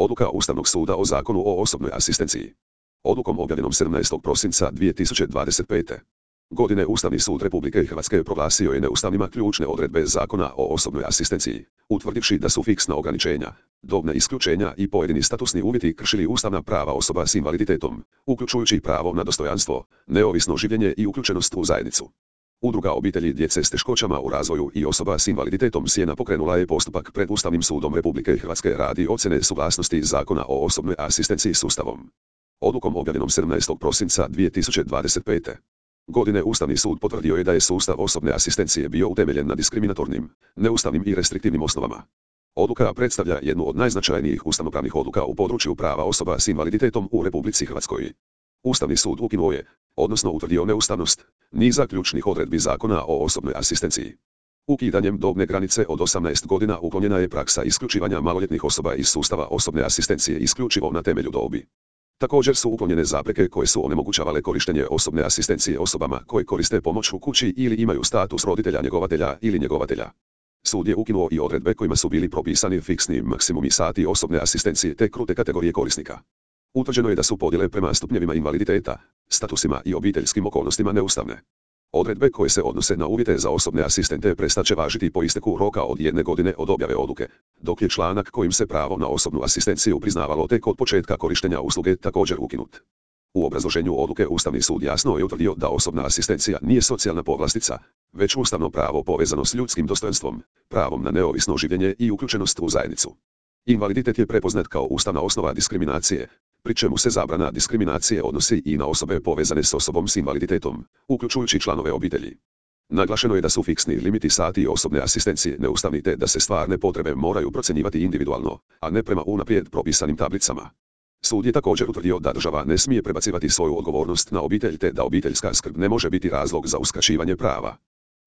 Odluka Ustavnog suda o Zakonu o osobnoj asistenciji. Odlukom objavljenom 17. prosinca 2025. godine Ustavni sud Republike Hrvatske proglasio je neustavnima ključne odredbe Zakona o osobnoj asistenciji, utvrdivši da su fiksna ograničenja, dobna isključenja i pojedini statusni uvjeti kršili ustavna prava osoba s invaliditetom, uključujući pravo na dostojanstvo, neovisno življenje i uključenost u zajednicu. Udruga obitelji djece s teškoćama u razvoju i osoba s invaliditetom Sjena pokrenula je postupak pred Ustavnim sudom Republike Hrvatske radi ocjene suglasnosti Zakona o osobnoj asistenciji s Ustavom. Odlukom objavljenom 17. prosinca 2025. godine Ustavni sud potvrdio je da je sustav osobne asistencije bio utemeljen na diskriminatornim, neustavnim i restriktivnim osnovama. Odluka predstavlja jednu od najznačajnijih ustavnopravnih odluka u području prava osoba s invaliditetom u Republici Hrvatskoj. Ustavni sud ukinuo je, odnosno utvrdio neustavnost, niza ključnih odredbi Zakona o osobnoj asistenciji. Ukidanjem dobne granice od 18 godina uklonjena je praksa isključivanja maloljetnih osoba iz sustava osobne asistencije isključivo na temelju dobi. Također su uklonjene zapreke koje su onemogućavale korištenje osobne asistencije osobama koje koriste pomoć u kući ili imaju status roditelja njegovatelja ili njegovatelja. Sud je ukinuo i odredbe kojima su bili propisani fiksni maksimumi sati osobne asistencije te krute kategorije korisnika. Utvrđeno je da su podjele prema stupnjevima invaliditeta, statusima i obiteljskim okolnostima neustavne. Odredbe koje se odnose na uvjete za osobne asistente prestat će važiti po isteku roka od 1 godine od objave odluke, dok je članak kojim se pravo na osobnu asistenciju priznavalo tek od početka korištenja usluge također ukinut. U obrazloženju odluke Ustavni sud jasno je utvrdio da osobna asistencija nije socijalna povlastica, već ustavno pravo povezano s ljudskim dostojanstvom, pravom na neovisno življenje i uključenost u zajednicu. Invaliditet je prepoznat kao ustavna osnova diskriminacije, pri čemu se zabrana diskriminacije odnosi i na osobe povezane s osobom s invaliditetom, uključujući članove obitelji. Naglašeno je da su fiksni limiti sati osobne asistencije neustavni te da se stvarne potrebe moraju procjenjivati individualno, a ne prema unaprijed propisanim tablicama. Sud je također utvrdio da država ne smije prebacivati svoju odgovornost na obitelj te da obiteljska skrb ne može biti razlog za uskraćivanje prava.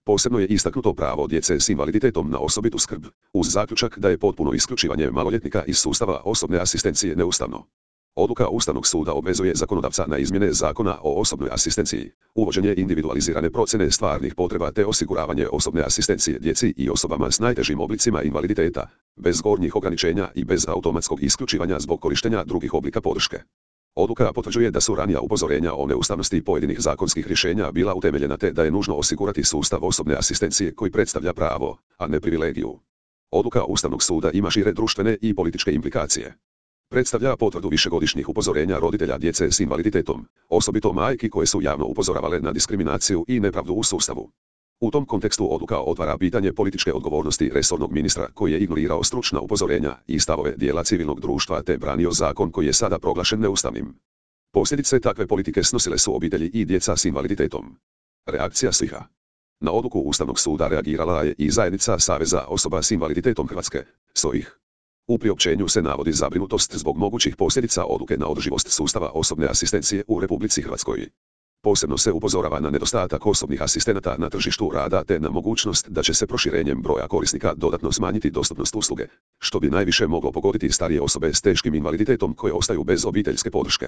Posebno je istaknuto pravo djece s invaliditetom na osobitu skrb, uz zaključak da je potpuno isključivanje maloljetnika iz sustava osobne asistencije neustavno. Odluka Ustavnog suda obvezuje zakonodavca na izmjene Zakona o osobnoj asistenciji, uvođenje individualizirane procjene stvarnih potreba te osiguravanje osobne asistencije djeci i osobama s najtežim oblicima invaliditeta, bez gornjih ograničenja i bez automatskog isključivanja zbog korištenja drugih oblika podrške. Odluka potvrđuje da su ranija upozorenja o neustavnosti pojedinih zakonskih rješenja bila utemeljena te da je nužno osigurati sustav osobne asistencije koji predstavlja pravo, a ne privilegiju. Odluka Ustavnog suda ima šire društvene i političke implikacije. Predstavlja potvrdu višegodišnjih upozorenja roditelja djece s invaliditetom, osobito majki koje su javno upozoravale na diskriminaciju i nepravdu u sustavu. U tom kontekstu odluka otvara pitanje političke odgovornosti resornog ministra koji je ignorirao stručna upozorenja i stavove dijela civilnog društva te branio zakon koji je sada proglašen neustavnim. Posljedice takve politike snosile su obitelji i djeca s invaliditetom. Reakcija SIH-a. Na odluku Ustavnog suda reagirala je i zajednica Saveza osoba s invaliditetom Hrvatske, SOIH. U priopćenju se navodi zabrinutost zbog mogućih posljedica odluke na održivost sustava osobne asistencije u Republici Hrvatskoj. Posebno se upozorava na nedostatak osobnih asistenata na tržištu rada te na mogućnost da će se proširenjem broja korisnika dodatno smanjiti dostupnost usluge, što bi najviše moglo pogoditi starije osobe s teškim invaliditetom koje ostaju bez obiteljske podrške.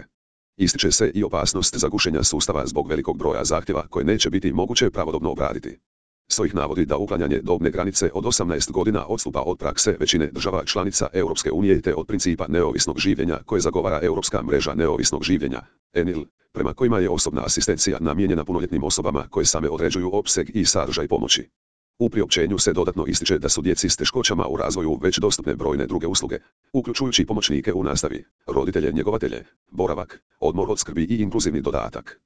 Ističe se i opasnost zagušenja sustava zbog velikog broja zahtjeva koje neće biti moguće pravodobno obraditi. SOIH navodi da uklanjanje dobne granice od 18 godina odstupa od prakse većine država članica Europske unije te od principa neovisnog življenja koje zagovara Europska mreža neovisnog življenja, ENIL, prema kojima je osobna asistencija namijenjena punoljetnim osobama koje same određuju opseg i sadržaj pomoći. U priopćenju se dodatno ističe da su djeci s teškoćama u razvoju već dostupne brojne druge usluge, uključujući pomoćnike u nastavi, roditelje njegovatelje, boravak, odmor od skrbi i inkluzivni dodatak.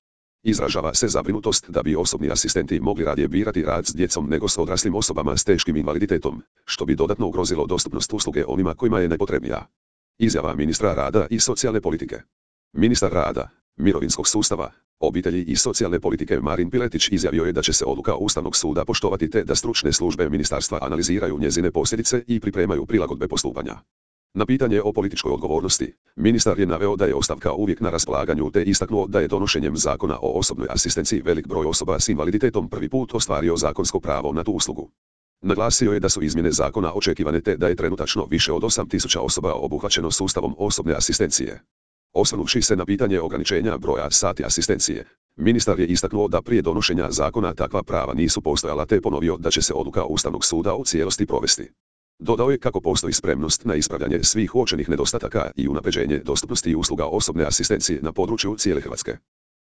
Izražava se zabrinutost da bi osobni asistenti mogli radije birati rad s djecom nego s odraslim osobama s teškim invaliditetom, što bi dodatno ugrozilo dostupnost usluge onima kojima je najpotrebnija. Izjava ministra rada i socijalne politike. Ministar rada, mirovinskog sustava, obitelji i socijalne politike Marin Piletić izjavio je da će se odluka Ustavnog suda poštovati te da stručne službe ministarstva analiziraju njezine posljedice i pripremaju prilagodbe postupanja. Na pitanje o političkoj odgovornosti, ministar je naveo da je ostavka uvijek na raspolaganju te istaknuo da je donošenjem Zakona o osobnoj asistenciji velik broj osoba s invaliditetom prvi put ostvario zakonsko pravo na tu uslugu. Naglasio je da su izmjene zakona očekivane te da je trenutačno više od 8.000 osoba obuhvaćeno sustavom osobne asistencije. Osvrnuvši se na pitanje ograničenja broja sati asistencije, ministar je istaknuo da prije donošenja zakona takva prava nisu postojala te ponovio da će se odluka Ustavnog suda u cijelosti provesti. Dodao je kako postoji spremnost na ispravljanje svih uočenih nedostataka i unapređenje dostupnosti usluga osobne asistencije na području cijele Hrvatske.